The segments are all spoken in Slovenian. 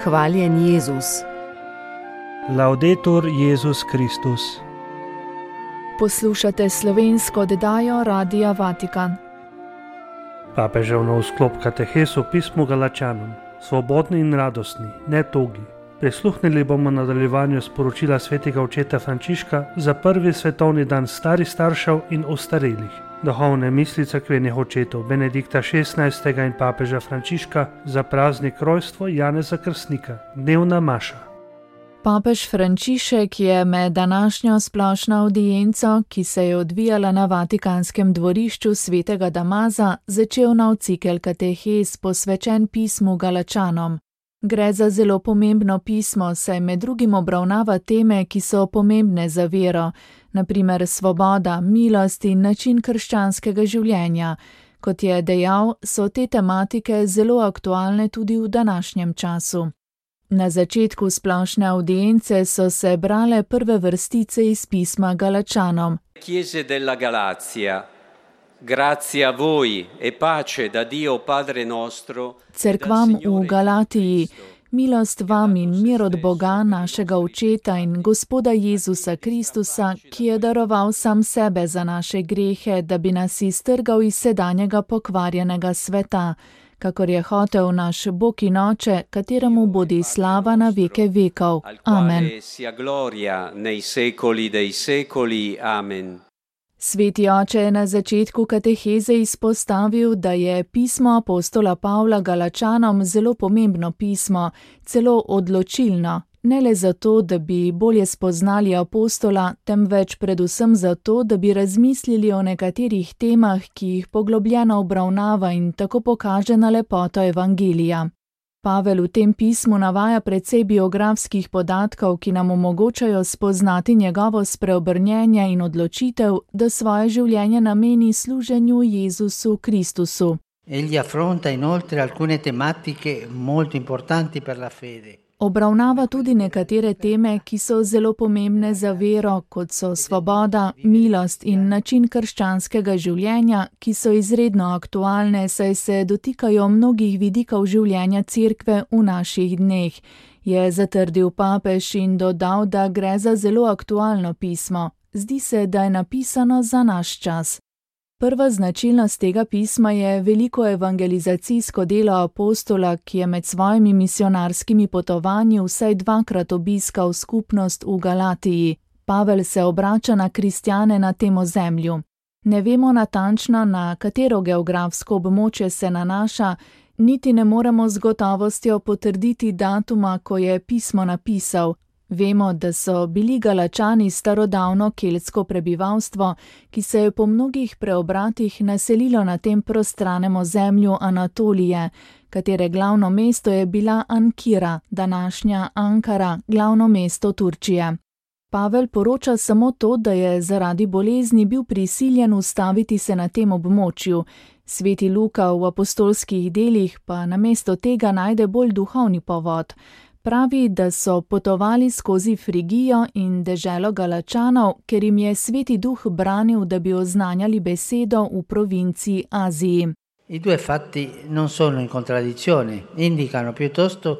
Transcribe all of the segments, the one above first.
Hvaljen Jezus. Laudetur Jezus Kristus. Poslušate slovensko oddajo Radia Vatikan. Papežev nov sklop katehes v pismu Galačanom. Svobodni in radostni, ne togi. Prisluhnili bomo nadaljevanju sporočila svetega očeta Frančiška za prvi svetovni dan starih staršev in ostarelih. Duhovne misli cerkvenih očetov Benedikta XVI. In papeža Frančiška za praznik rojstva Janeza Krstnika, dnevna maša. Papež Frančišek je med današnjo splošno avdienco, ki se je odvijala na Vatikanskem dvorišču svetega Damaza, začel nov cikel katehes posvečen pismu Galačanom. Gre za zelo pomembno pismo, saj med drugim obravnava teme, ki so pomembne za vero, na primer svoboda, milost in način krščanskega življenja. Kot je dejal, so te tematike zelo aktualne tudi v današnjem času. Na začetku splošne avdience so se brale prve vrstice iz pisma Galačanom. Chiese della Galazia, grazie a voi e pace da Dio Padre nostro. Cerkvam v Galatiji, milost vam in mir od Boga, našega Očeta in Gospoda Jezusa Kristusa, ki je daroval sam sebe za naše grehe, da bi nas iztrgal iz sedanjega pokvarjenega sveta, kakor je hotel naš Bog in Oče, kateremu bodi slava na veke vekov. Amen. Sveti Oče je na začetku kateheze izpostavil, da je pismo apostola Pavla Galačanom zelo pomembno pismo, celo odločilno. Ne le zato, da bi bolje spoznali apostola, temveč predvsem zato, da bi razmislili o nekaterih temah, ki jih poglobljeno obravnava in tako pokaže na lepoto evangelija. Pavel v tem pismu navaja precej biografskih podatkov, ki nam omogočajo spoznati njegovo spreobrnjenje in odločitev, da svoje življenje nameni služenju Jezusu Kristusu. Egli affronta inoltre alcune tematiche molto importanti per la fede. Obravnava tudi nekatere teme, ki so zelo pomembne za vero, kot so svoboda, milost in način krščanskega življenja, ki so izredno aktualne, saj se dotikajo mnogih vidikov življenja Cerkve v naših dneh, je zatrdil papež in dodal, da gre za zelo aktualno pismo. Zdi se, da je napisano za naš čas. Prva značilnost tega pisma je veliko evangelizacijsko delo apostola, ki je med svojimi misionarskimi potovanji vsaj dvakrat obiskal skupnost v Galatiji. Pavel se obrača na kristjane na tem ozemlju. Ne vemo natančno, na katero geografsko območje se nanaša, niti ne moremo z gotovostjo potrditi datuma, ko je pismo napisal. Vemo, da so bili Galačani starodavno keltsko prebivalstvo, ki se je po mnogih preobratih naselilo na tem prostranem ozemlju Anatolije, katere glavno mesto je bila Ankira, današnja Ankara, glavno mesto Turčije. Pavel poroča samo to, da je zaradi bolezni bil prisiljen ustaviti se na tem območju. Sveti Luka v apostolskih delih pa namesto tega najde bolj duhovni povod. Pravi, da so potovali skozi Frigijo in deželo Galačanov, ker jim je Sveti Duh branil, da bi oznanjali besedo v provinciji Aziji. I due fatti non sono in contraddizione, indicano piuttosto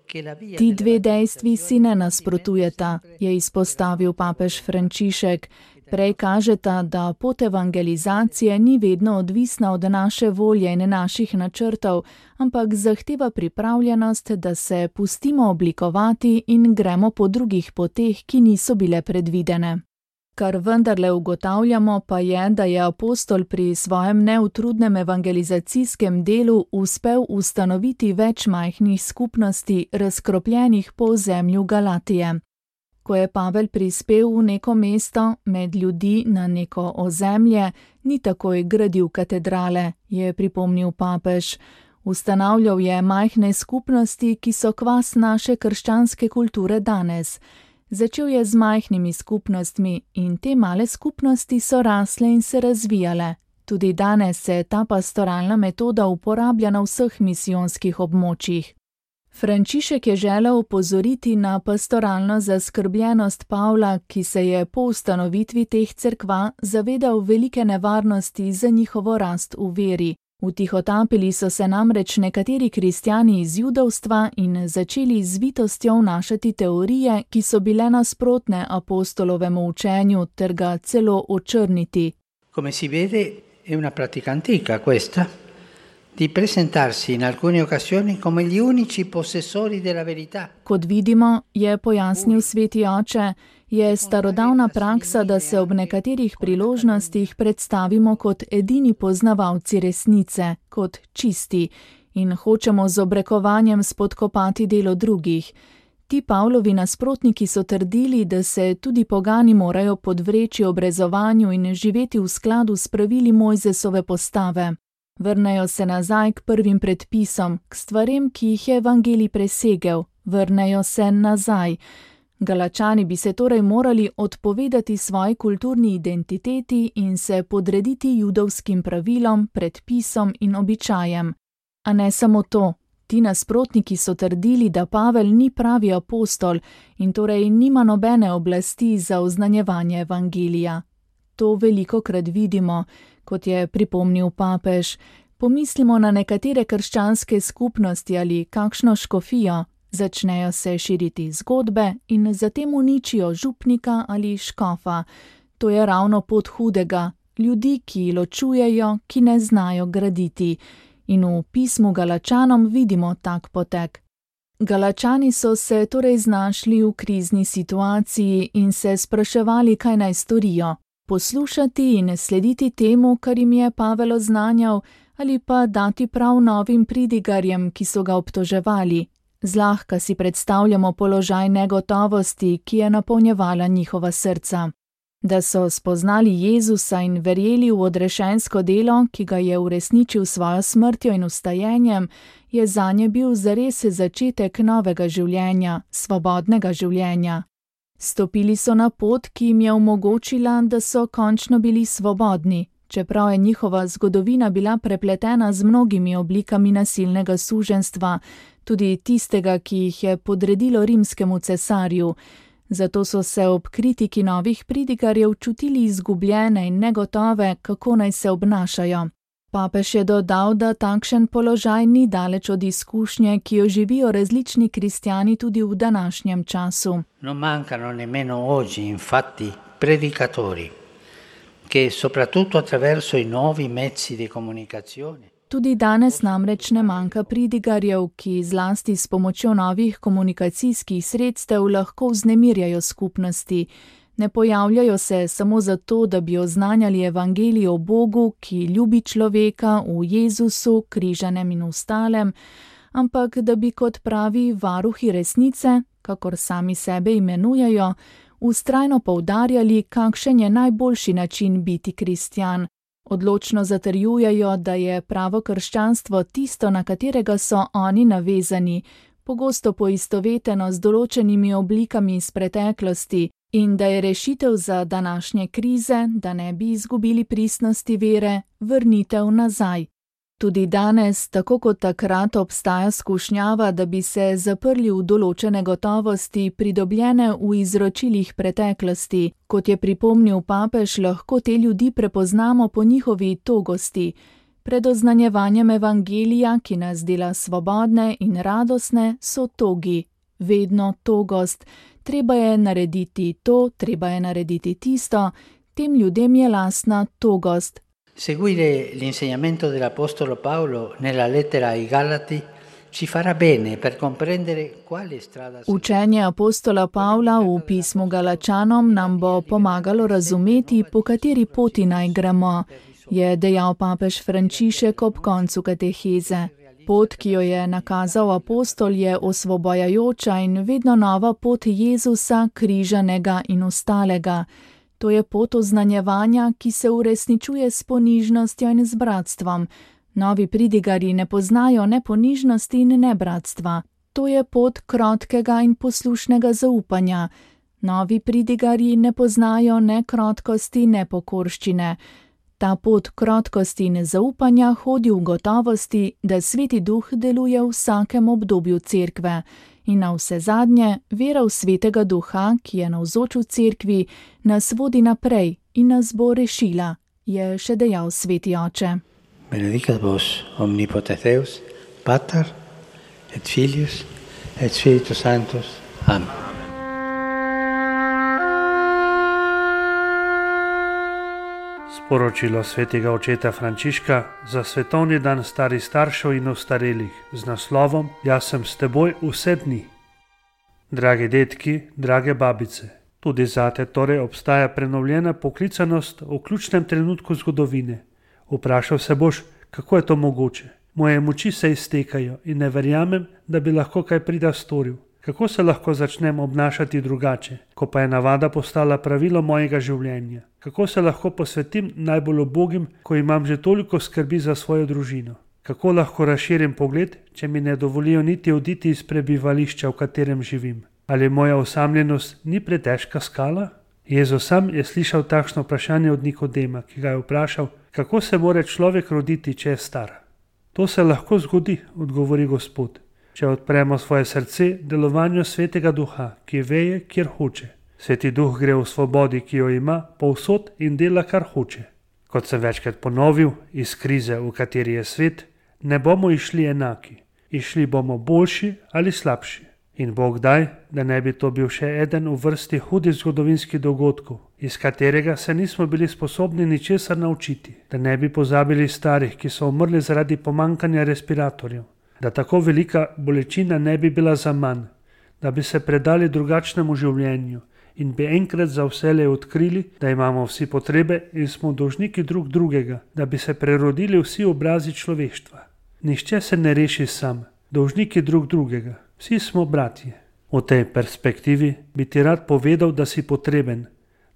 che la via. Ti dve dejstvi si ne nasprotujeta, je izpostavil papež Frančišek. Prej kažeta, da pot evangelizacije ni vedno odvisna od naše volje in naših načrtov, ampak zahteva pripravljenost, da se pustimo oblikovati in gremo po drugih poteh, ki niso bile predvidene. Kar vendarle ugotavljamo pa je, da je apostol pri svojem neutrudnem evangelizacijskem delu uspel ustanoviti več majhnih skupnosti, razkropljenih po ozemlju Galatije. Ko je Pavel prispel v neko mesto, med ljudi na neko ozemlje, ni takoj gradil katedrale, je pripomnil papež. Ustanavljal je majhne skupnosti, ki so kvas naše krščanske kulture danes. Začel je z majhnimi skupnostmi in te male skupnosti so rasle in se razvijale. Tudi danes se ta pastoralna metoda uporablja na vseh misijonskih območjih. Frančišek je želel opozoriti na pastoralno zaskrbljenost Pavla, ki se je po ustanovitvi teh cerkva zavedal velike nevarnosti za njihovo rast v veri. Vtihotapili so se namreč nekateri kristjani iz judovstva in začeli z vitostjo vnašati teorije, ki so bile nasprotne apostolovemu učenju ter ga celo očrniti. Come si vede, è una pratica antica questa, di presentarsi in alcune occasioni come gli unici possessori della verità. Kot vidimo, je pojasnil sveti oče, je starodavna praksa, da se ob nekaterih priložnostih predstavimo kot edini poznavalci resnice, kot čisti, in hočemo z obrekovanjem spodkopati delo drugih. Ti Pavlovi nasprotniki so trdili, da se tudi pogani morajo podvreči obrezovanju in živeti v skladu s pravili Mojzesove postave. Vrnejo se nazaj k prvim predpisom, k stvarem, ki jih je evangelij presegel. Vrnejo se nazaj. Galačani bi se torej morali odpovedati svoji kulturni identiteti in se podrediti judovskim pravilom, predpisom in običajem. A ne samo to. Ti nasprotniki so trdili, da Pavel ni pravi apostol in torej nima nobene oblasti za oznanjevanje evangelija. To velikokrat vidimo, kot je pripomnil papež. Pomislimo na nekatere krščanske skupnosti ali kakšno škofijo. Začnejo se širiti zgodbe in zatem uničijo župnika ali škofa. To je ravno pot hudega, ljudi, ki ločujejo, ki ne znajo graditi. In v pismu Galačanom vidimo tak potek. Galačani so se torej znašli v krizni situaciji in se spraševali, kaj naj storijo. Poslušati in slediti temu, kar jim je Pavel oznanjal, ali pa dati prav novim pridigarjem, ki so ga obtoževali. Zlahka si predstavljamo položaj negotovosti, ki je napolnjevala njihova srca. Da so spoznali Jezusa in verjeli v odrešensko delo, ki ga je uresničil svojo smrtjo in vstajenjem, je zanje bil zares začetek novega življenja, svobodnega življenja. Stopili so na pot, ki jim je omogočila, da so končno bili svobodni, čeprav je njihova zgodovina bila prepletena z mnogimi oblikami nasilnega suženjstva, tudi tistega, ki jih je podredilo rimskemu cesarju. Zato so se ob kritiki novih pridigarjev čutili izgubljene in negotove, kako naj se obnašajo. Papež je dodal, da takšen položaj ni daleč od izkušnje, ki jo živijo različni kristjani tudi v današnjem času. Non mancano nemmeno oggi, infatti, predicatori, che soprattutto attraverso i nuovi mezzi di comunicazione. Tudi danes namreč ne manjka pridigarjev, ki zlasti s pomočjo novih komunikacijskih sredstev lahko vznemirjajo skupnosti. Ne pojavljajo se samo zato, da bi oznanjali evangelij o Bogu, ki ljubi človeka v Jezusu, križanem in ostalem, ampak da bi kot pravi varuhi resnice, kakor sami sebe imenujejo, vztrajno poudarjali, kakšen je najboljši način biti kristjan. Odločno zatrjujejo, da je pravo krščanstvo tisto, na katerega so oni navezani, pogosto poistoveteno z določenimi oblikami iz preteklosti, in da je rešitev za današnje krize, da ne bi izgubili pristnosti vere, vrnitev nazaj. Tudi danes, tako kot takrat, obstaja skušnjava, da bi se zaprli v določene gotovosti, pridobljene v izročilih preteklosti. Kot je pripomnil papež, lahko te ljudi prepoznamo po njihovi togosti. Pred oznanjevanjem evangelija, ki nas dela svobodne in radostne, so togi. Vedno togost. Treba je narediti to, treba je narediti tisto. Tem ljudem je lastna togost. Seguire l'insegnamento dell'Apostolo Paolo nella lettera ai Galati ci farà bene per comprendere quale strada. Učenje apostola Pavla v pismu Galačanom nam bo pomagalo razumeti, po kateri poti naj gremo, je dejal papež Frančišek ob koncu kateheze. Pot, ki jo je nakazal apostol, je osvobajajoča in vedno nova pot Jezusa, križanega in ostalega. To je pot oznanjevanja, ki se uresničuje s ponižnostjo in z bratstvom. Novi pridigarji ne poznajo ne ponižnosti in ne bratstva. To je pot krotkega in poslušnega zaupanja. Novi pridigarji ne poznajo ne krotkosti, ne pokorščine. Ta pot krotkosti in zaupanja hodi v gotovosti, da Sveti Duh deluje v vsakem obdobju cerkve. In na vse zadnje, vera v Svetega Duha, ki je navzoč v cerkvi, nas vodi naprej in nas bo rešila, je še dejal sveti oče. Benedicat vos omnipotens Deus, Pater et Filius et Spiritus Sanctus. Amen. Sporočilo svetega očeta Frančiška za svetovni dan starih staršev in ostarelih z naslovom Jaz sem s teboj vse dni. Dragi detki, drage babice, tudi zate torej obstaja prenovljena poklicanost v ključnem trenutku zgodovine. Vprašal se boš, kako je to mogoče. Moje moči se iztekajo in ne verjamem, da bi lahko kaj prida storil. Kako se lahko začnem obnašati drugače, ko pa je navada postala pravilo mojega življenja? Kako se lahko posvetim najbolj ubogim, ko imam že toliko skrbi za svojo družino? Kako lahko razširim pogled, če mi ne dovolijo niti oditi iz prebivališča, v katerem živim? Ali moja osamljenost ni pretežka skala? Jezus sam je slišal takšno vprašanje od Nikodema, ki ga je vprašal, kako se more človek roditi, če je star. To se lahko zgodi, odgovori Gospod, če odpremo svoje srce delovanju Svetega Duha, ki veje, kjer hoče. Sveti Duh gre v svobodi, ki jo ima, povsod in dela, kar hoče. Kot sem večkrat ponovil, iz krize, v kateri je svet, ne bomo išli enaki. Išli bomo boljši ali slabši. In Bog daj, da ne bi to bil še eden v vrsti hudih zgodovinskih dogodkov, iz katerega se nismo bili sposobni ničesar naučiti, da ne bi pozabili starih, ki so umrli zaradi pomankanja respiratorjev, da tako velika bolečina ne bi bila za manj, da bi se predali drugačnemu življenju in bi enkrat za vselej odkrili, da imamo vsi potrebe in smo dolžniki drug drugega, da bi se prerodili vsi obrazi človeštva. Nihče se ne reši sam, dolžniki drug drugega. Vsi smo bratje. V tej perspektivi bi ti rad povedal, da si potreben,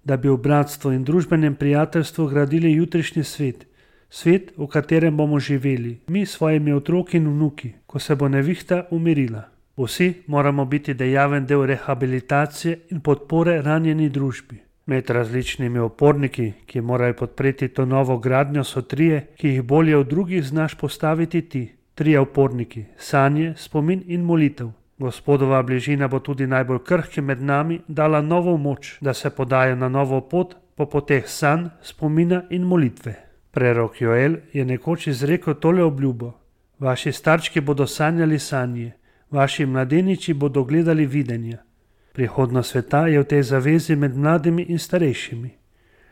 da bi v bratstvu in družbenem prijateljstvu gradili jutrišnji svet, svet, v katerem bomo živeli, mi s svojimi otroki in vnuki, ko se bo nevihta umirila. Vsi moramo biti dejaven del rehabilitacije in podpore ranjeni družbi. Med različnimi oporniki, ki morajo podpreti to novo gradnjo, so trije, ki jih bolje od drugih znaš postaviti ti. Trije oporniki, sanje, spomin in molitev. Gospodova bližina bo tudi najbolj krhkim med nami dala novo moč, da se podajo na novo pot po poteh sanj, spomina in molitve. Prerok Joel je nekoč izrekel tole obljubo. Vaši starčki bodo sanjali sanje, vaši mladeniči bodo gledali videnja. Prihodnost sveta je v tej zavezi med mladimi in starejšimi.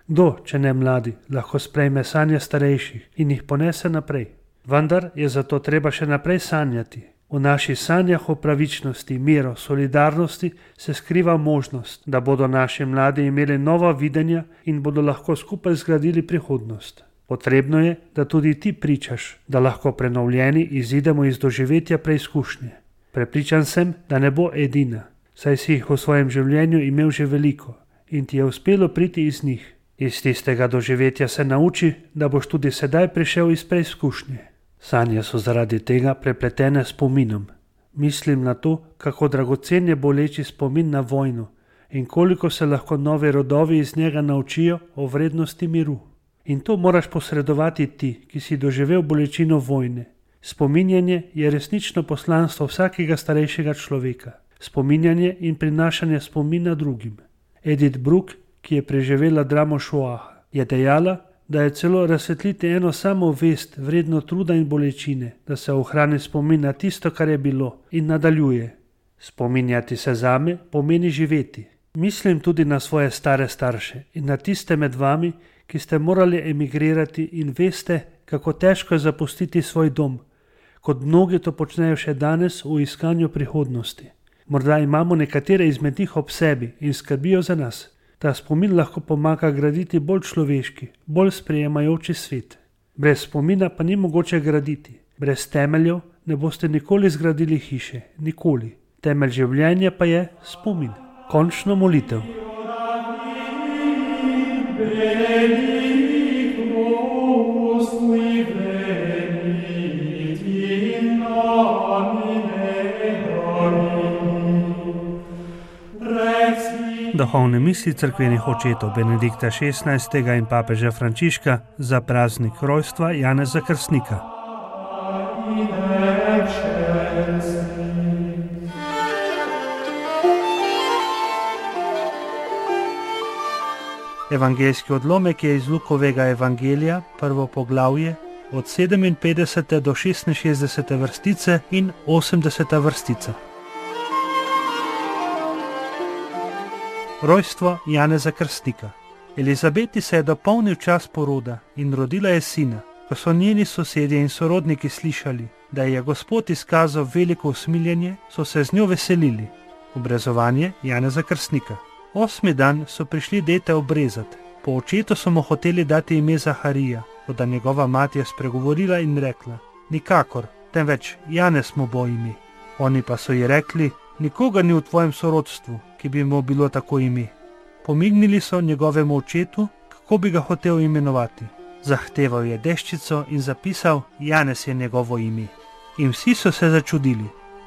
Kdo, če ne mladi, lahko sprejme sanje starejših in jih ponese naprej? Vendar je zato treba še naprej sanjati. V naših sanjah o pravičnosti, miru, solidarnosti se skriva možnost, da bodo naši mladi imeli nova videnja in bodo lahko skupaj zgradili prihodnost. Potrebno je, da tudi ti pričaš, da lahko prenovljeni izidemo iz doživetja preizkušnje. Prepričan sem, da ne bo edina, saj si jih v svojem življenju imel že veliko in ti je uspelo priti iz njih. Iz tistega doživetja se nauči, da boš tudi sedaj prišel iz preizkušnje. Sanje so zaradi tega prepletene s spominom. Mislim na to, kako dragocen je boleči spomin na vojno in koliko se lahko novi rodovi iz njega naučijo o vrednosti miru. In to moraš posredovati ti, ki si doživel bolečino vojne. Spominjanje je resnično poslanstvo vsakega starejšega človeka. Spominjanje in prinašanje spomina drugim. Edith Bruck, ki je preživela dramo Šoaha, je dejala, da je celo razsvetliti eno samo vest vredno truda in bolečine, da se ohrani spomin na tisto, kar je bilo in nadaljuje. Spominjati se zame pomeni živeti. Mislim tudi na svoje stare starše in na tiste med vami, ki ste morali emigrirati in veste, kako težko je zapustiti svoj dom, kot mnogi to počnejo še danes v iskanju prihodnosti. Morda imamo nekatere izmed njih ob sebi in skrbijo za nas. Ta spomin lahko pomaga graditi bolj človeški, bolj sprejemajoči svet. Brez spomina pa ni mogoče graditi. Brez temeljev ne boste nikoli zgradili hiše, nikoli. Temelj življenja pa je spomin. Končno molitev. Duhovne misli cerkvenih očetov Benedikta XVI. In papeža Frančiška za praznik rojstva Janeza Krstnika. Evangeljski odlomek je iz Lukovega evangelija, prvo poglavje, od 57. do 66. vrstice in 80. vrstica. Rojstvo Janeza Krstnika. Elizabeti se je dopolnil čas poroda in rodila je sina. Ko so njeni sosedje in sorodniki slišali, da je Gospod izkazal veliko usmiljenje, so se z njo veselili. Obrezovanje Janeza Krstnika. 8. dan so prišli dete obrezati. Po očetu so mu hoteli dati ime Zaharija, toda njegova mati je spregovorila in rekla: nikakor, temveč Janez mu bo ime. Oni pa so ji rekli: nikogar ni v tvojem sorodstvu, ki bi mu bilo tako ime. Pomignili so njegovemu očetu, kako bi ga hotel imenovati. Zahteval je deščico in zapisal: Janez je njegovo ime. In vsi so se začudili.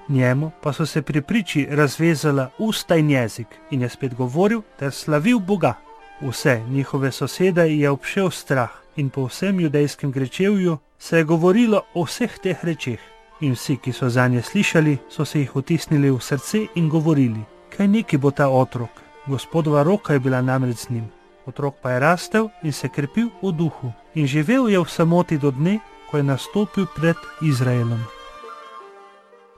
Njemu pa so se pri priči razvezala usta in jezik in je spet govoril ter slavil Boga. Vse njihove sosede je obšel strah in po vsem judejskem grečevju se je govorilo o vseh teh rečeh. In vsi, ki so zanje slišali, so se jih vtisnili v srce in govorili: kaj neki bo ta otrok? Gospodova roka je bila namreč z njim. Otrok pa je rastel in se krepil v duhu in živel je v samoti do dne, ko je nastopil pred Izraelom.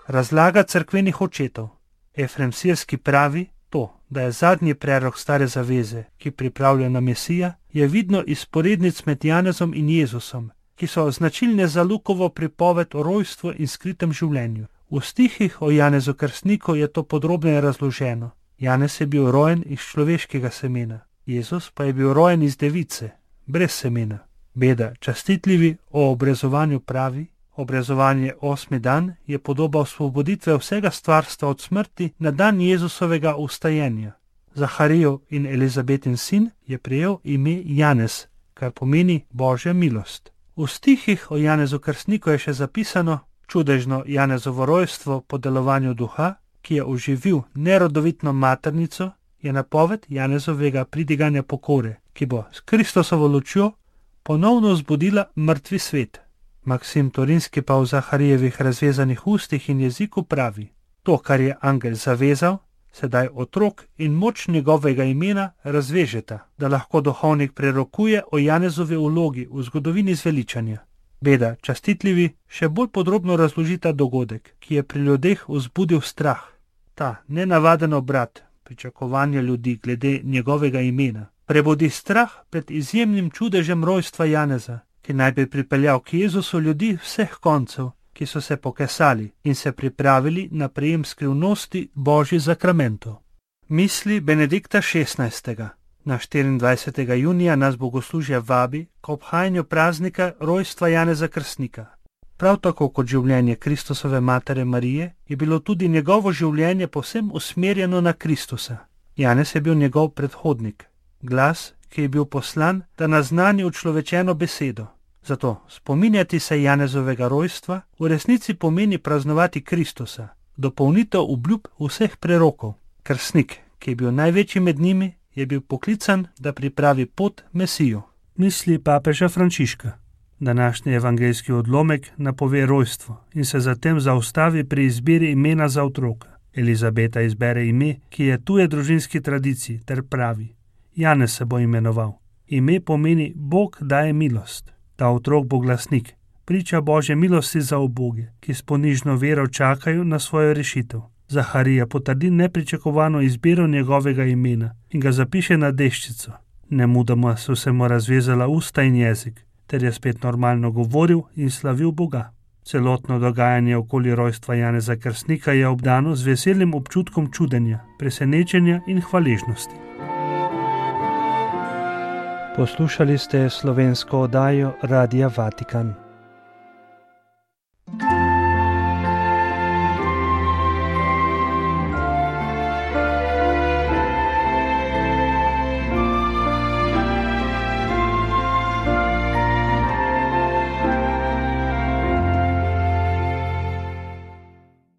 Razlaga cerkvenih očetov. Efrem Sirski pravi, to, da je zadnji prerok stare zaveze, ki pripravlja na Mesija, je vidno iz sporednic med Janezom in Jezusom, ki so značilne za Lukovo pripoved o rojstvu in skritem življenju. V stihih o Janezu Krstniku je to podrobneje razloženo. Janez je bil rojen iz človeškega semena, Jezus pa je bil rojen iz device, brez semena. Beda častitljivi o obrezovanju pravi: obrezovanje 8. dan je podoba osvoboditve vsega stvarstva od smrti na dan Jezusovega vstajenja. Zaharijev in Elizabetin sin je prejel ime Janez, kar pomeni Božja milost. V stihih o Janezu Krstniku je še zapisano: čudežno Janezovo rojstvo po delovanju duha, ki je oživil nerodovitno maternico, je napoved Janezovega pridiganja pokore, ki bo s Kristosovo lučjo ponovno vzbudila mrtvi svet. Maksim Torinski pa v Zaharijevih razvezanih ustih in jeziku pravi: to, kar je angel zavezal, sedaj otrok in moč njegovega imena razvežeta, da lahko duhovnik prerokuje o Janezovi vlogi v zgodovini zveličanja. Beda častitljivi še bolj podrobno razložita dogodek, ki je pri ljudeh vzbudil strah. Ta nenavaden obrat, pričakovanje ljudi glede njegovega imena, prebudi strah pred izjemnim čudežem rojstva Janeza, ki naj bi pripeljal k Jezusu ljudi vseh koncev, ki so se pokesali in se pripravili na prejem skrivnosti Božjih zakramentov. Misli Benedikta XVI. Na 24. junija nas bogoslužje vabi k obhajanju praznika rojstva Janeza Krstnika. Prav tako kot življenje Kristusove matere Marije je bilo tudi njegovo življenje povsem usmerjeno na Kristusa. Janez je bil njegov predhodnik, glas, ki je bil poslan, da naznani učlovečeno besedo. Zato spominjati se Janezovega rojstva v resnici pomeni praznovati Kristusa, dopolnitev obljub vseh prerokov. Krstnik, ki je bil največji med njimi, je bil poklican, da pripravi pot Mesiju. Misli papeža Frančiška. Današnji evangeljski odlomek napove rojstvo in se zatem zaustavi pri izbiri imena za otroka. Elizabeta izbere ime, ki je tuje družinski tradiciji, ter pravi: Janez se bo imenoval. Ime pomeni Bog daje milost. Ta otrok bo glasnik, priča Božje milosti za uboge, ki s ponižno vero čakajo na svojo rešitev. Zaharija potrdi nepričakovano izbiro njegovega imena in ga zapiše na deščico. Nemudoma so se mu razvezala usta in jezik, ter je spet normalno govoril in slavil Boga. Celotno dogajanje okoli rojstva Janeza Krstnika je obdano z veselnim občutkom čudenja, presenečenja in hvaležnosti. Poslušali ste slovensko oddajo Radia Vatikan.